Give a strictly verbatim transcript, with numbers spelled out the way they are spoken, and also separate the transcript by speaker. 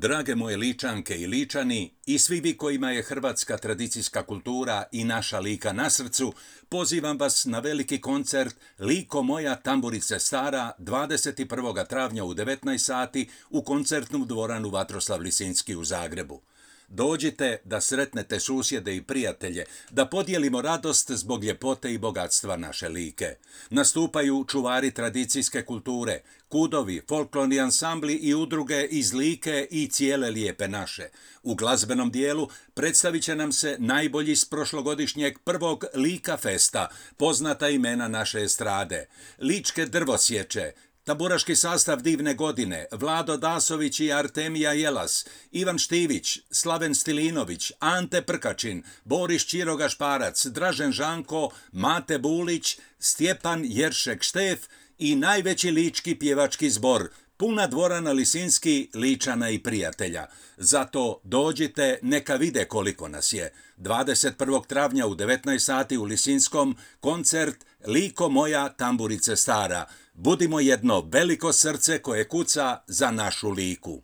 Speaker 1: Drage moje Ličanke i Ličani i svi vi kojima je hrvatska tradicijska kultura i naša Lika na srcu, pozivam vas na veliki koncert Liko moja tamburice stara dvadeset prvog travnja u devetnaest sati u koncertnu dvoranu Vatroslav Lisinski u Zagrebu. Dođite da sretnete susjede i prijatelje, da podijelimo radost zbog ljepote i bogatstva naše Like. Nastupaju čuvari tradicijske kulture, kudovi, folklorni ansambli i udruge iz Like i cijele lijepe naše. U glazbenom dijelu predstavit će nam se najbolji s prošlogodišnjeg prvog Lika festa, poznata imena naše estrade, Ličke drvosječe, tamburaški sastav Divne godine, Vlado Dasović i Artemija Jelas, Ivan Štivić, Slaven Stilinović, Ante Prkačin, Boris Čiroga Šparac, Dražen Žanko, Mate Bulić, Stjepan Jeršek Štef i najveći lički pjevački zbor, puna dvorana Lisinski, Ličana i prijatelja. Zato dođite, neka vide koliko nas je. dvadeset prvog travnja u devetnaest sati u Lisinskom, koncert Liko moja tamburice stara. Budimo jedno veliko srce koje kuca za našu Liku.